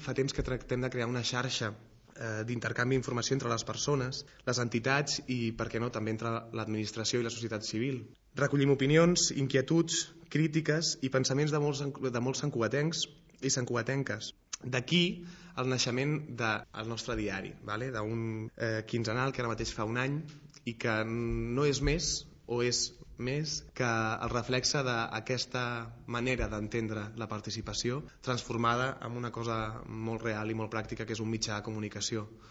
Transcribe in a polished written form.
Fa temps que tractem de crear una xarxa d'intercanvi d'informació entre les persones, les entitats i, per què no, també entre l'administració i la societat civil. Recollim opinions, inquietuds, crítiques i pensaments de molts santcugatencs i santcugatenques. D'aquí el naixement del nostre diari, d'un quinzenal que ara mateix fa un any i que no és més o és més que el reflexe d'aquesta manera d'entendre la participació transformada en una cosa molt real i molt pràctica que és un mitjà de comunicació.